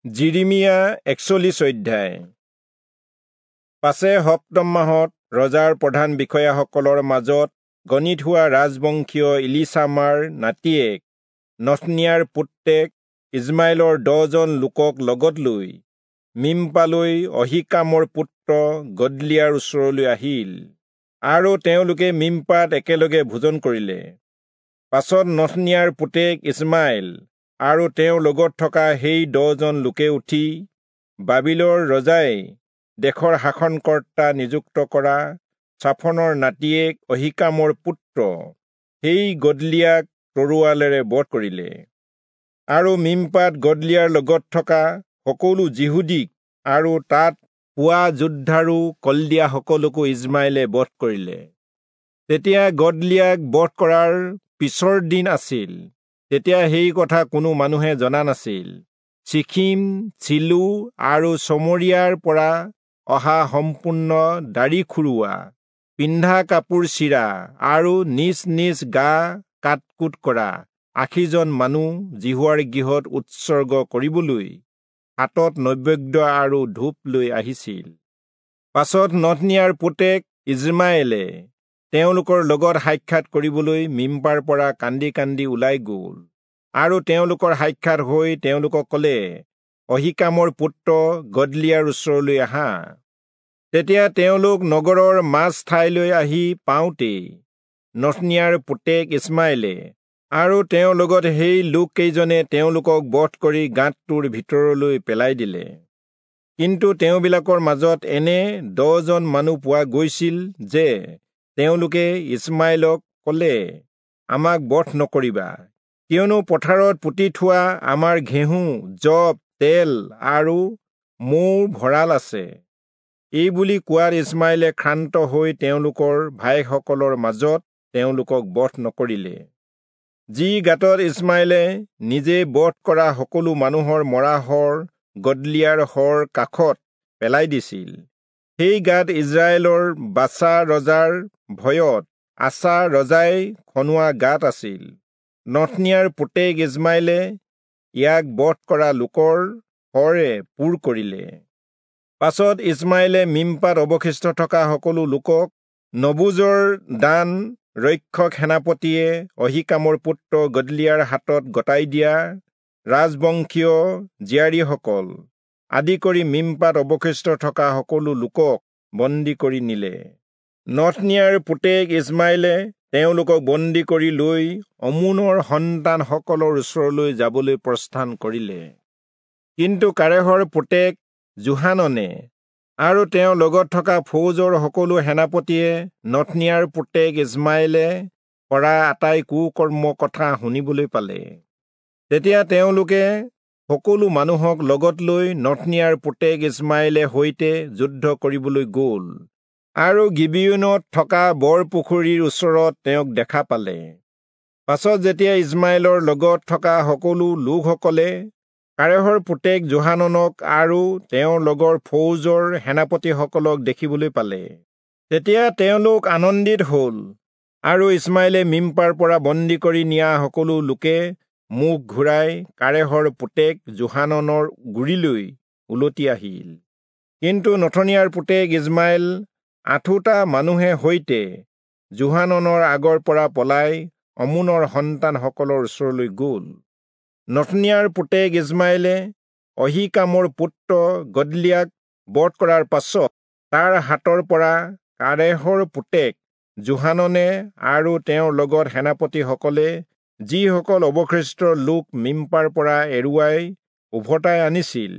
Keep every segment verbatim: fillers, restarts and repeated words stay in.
যিৰিমিয়া একচল্লিশ অধ্যায়। পাছে সপ্তম মাহত ৰজাৰ প্ৰধান বিষয়াসকলৰ মাজত গণিত হোৱা ৰাজবংশীয় ইলিচামাৰ নাতিয়েক নথনিয়াৰ পুত্ৰেক ইছমাইলৰ দহজন লোকক লগত লৈ মিম্পালৈ অহীকামৰ পুত্ৰ গদলিয়াৰ ওচৰলৈ আহিল, আৰু তেওঁলোকে মিম্পাত একেলগে ভোজন কৰিলে। পাছত নথনিয়াৰ পুতেক ইছমাইল আৰু তেওঁৰ লগত থকা সেই দহজন লোকে উঠি বাবিলৰ ৰজাই দেশৰ শাসনকৰ্তা নিযুক্ত কৰা চাফনৰ নাতিয়েক অহীকামৰ পুত্ৰ সেই গদলিয়াক তৰোৱালেৰে বধ কৰিলে। আৰু মিম্পাত গদলিয়াৰ লগত থকা সকলো যিহুদীক আৰু তাত পোৱা যোদ্ধাৰু কলদিয়াসকলকো ইছমাইলে বধ কৰিলে। তেতিয়া গদলিয়াক বধ কৰাৰ পিছৰ দিন আছিল। তেতিয়া সেই কথা কোনো মানুহে জনা নাছিল। চিখিম, চিলো আৰু চমৰীয়াৰ পৰা অহা সম্পূৰ্ণ দাড়ি খুৰোৱা, পিন্ধা কাপোৰ চিৰা আৰু নিজ নিজ গা কাটকুট কৰা আশীজন মানুহ যিহোৱাৰ গৃহত উৎসৰ্গ কৰিবলৈ হাতত নৈবেদ্য আৰু ধূপ লৈ আহিছিল। পাছত নথনিয়াৰ পুতেক ইছমাইলে তেওঁলোকৰ লগত সাক্ষাৎ কৰিবলৈ মিম্পাৰ পৰা কান্দি কান্দি ওলাই গ'ল, আৰু তেওঁলোকৰ সাক্ষাৎ হৈ তেওঁলোকক ক'লে, অহীকামৰ পুত্ৰ গদলিয়াৰ ওচৰলৈ আহা। তেতিয়া তেওঁলোক নগৰৰ মাজ ঠাইলৈ আহি পাওঁতেই নথনিয়াৰ পুতেক ইছমাইলে আৰু তেওঁৰ লগত সেই লোককেইজনে তেওঁলোকক বধ কৰি গাঁতটোৰ ভিতৰলৈ পেলাই দিলে। কিন্তু তেওঁবিলাকৰ মাজত এনে দহজন মানুহ পোৱা গৈছিল যে তেওঁলোকে ইছমাইলক ক'লে, আমাক বধ নকৰিবা, কিয়নো পথাৰত পুতি থোৱা আমাৰ ঘেঁহু, যৱ, তেল আৰু মৌৰ ভঁৰাল আছে। এই বুলি কোৱাত ইছমাইলে ক্ষান্ত হৈ তেওঁলোকৰ ভাইসকলৰ মাজত তেওঁলোকক বধ নকৰিলে। যি গাঁতত ইছমাইলে নিজে বধ কৰা সকলো মানুহৰ মৰা শৰ গদলিয়াৰ শৰ কাষত পেলাই দিছিল, সেই গাঁত ইজৰাইলৰ বাচা ৰজাৰ ভয়ত আছা ৰজাই খনোৱা গাঁত আছিল। নথনিয়াৰ পুতেক ইছমাইলে ইয়াক বধ কৰা লোকৰ শৰে পূৰ কৰিলে। পাছত ইছমাইলে মিম্পাত অৱশিষ্ট থকা সকলো লোকক নবুজৰ দান ৰক্ষক সেনাপতিয়ে অহীকামৰ পুত্ৰ গদলিয়াৰ হাতত গতাই দিয়া ৰাজবংশীয় জীয়াৰীসকল আদি কৰি মিম্পাত অৱশিষ্ট থকা সকলো লোকক বন্দী কৰি নিলে। নথনিয়াৰ পুতেক ইছমাইলে তেওঁলোকক বন্দী কৰি লৈ অমোনৰ সন্তানসকলৰ ওচৰলৈ যাবলৈ প্ৰস্থান কৰিলে। কিন্তু কাৰেহৰ পুতেক যোহাননে আৰু তেওঁৰ লগত থকা ফৌজৰ সকলো সেনাপতিয়ে নথনিয়াৰ পুতেক ইছমাইলে কৰা আটাই কুকৰ্ম কথা শুনিবলৈ পালে। তেতিয়া তেওঁলোকে সকলো মানুহক লগত লৈ নথনিয়াৰ পুতেক ইছমাইলে সৈতে যুদ্ধ কৰিবলৈ গ'ল আৰু গিবিয়োনত থকা বৰ পুখুৰীৰ ওচৰত তেওঁক দেখা পালে। পাছত যেতিয়া ইছমাইলৰ লগত থকা সকলো লোকসকলে কাৰেহৰ পুতেক যোহাননক আৰু তেওঁৰ লগৰ ফৌজৰ সেনাপতিসকলক দেখিবলৈ পালে, তেতিয়া তেওঁলোক আনন্দিত হ'ল। আৰু ইছমাইলে মিম্পাৰ পৰা বন্দী কৰি নিয়া সকলো লোকে মুখ ঘূৰাই কাৰেহৰ পুতেক যোহাননৰ গুৰিলৈ উলটি আহিল। কিন্তু নথনিয়াৰ পুতেক ইছমাইল আঠোটা মানুহে সৈতে যোহাননৰ আগৰ পৰা পলাই অমোনৰ সন্তানসকলৰ ওচৰলৈ গ'ল। নথনিয়াৰ পুতেক ইছমাইলে অহীকামৰ পুত্ৰ গদলিয়াক বধ কৰাৰ পাছত তাৰ হাতৰ পৰা কাৰেহৰ পুতেক যোহাননে আৰু তেওঁৰ লগত সেনাপতিসকলে যিসকল অৱশিষ্ট লোক মিম্পাৰ পৰা এৰুৱাই উভতাই আনিছিল,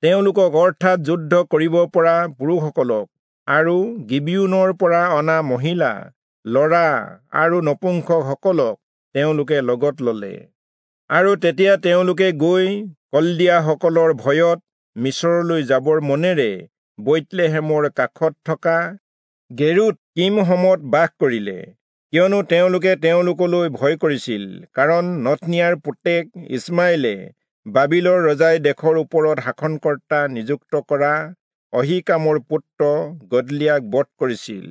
তেওঁলোকক অৰ্থাৎ যুদ্ধ কৰিব পৰা পুৰুষসকলক আৰু গিবিয়োনৰ পৰা অনা মহিলা, ল'ৰা আৰু নপুংসকসকলক তেওঁলোকে লগত ল'লে। আৰু তেতিয়া তেওঁলোকে গৈ কলদিয়াসকলৰ ভয়ত মিচৰলৈ যাবৰ মনেৰে বৈৎলেহেমৰ কাষত থকা গেৰুত কিমহমত বাস কৰিলে, কিয়নো তেওঁলোকে তেওঁলোকলৈ ভয় কৰিছিল, কাৰণ নথনিয়াৰ পুতেক ইছমাইলে বাবিলৰ ৰজাই দেশৰ ওপৰত শাসনকৰ্তা নিযুক্ত কৰা অহীকামৰ পুত্ৰ গদলিয়াক বধ কৰিছিল।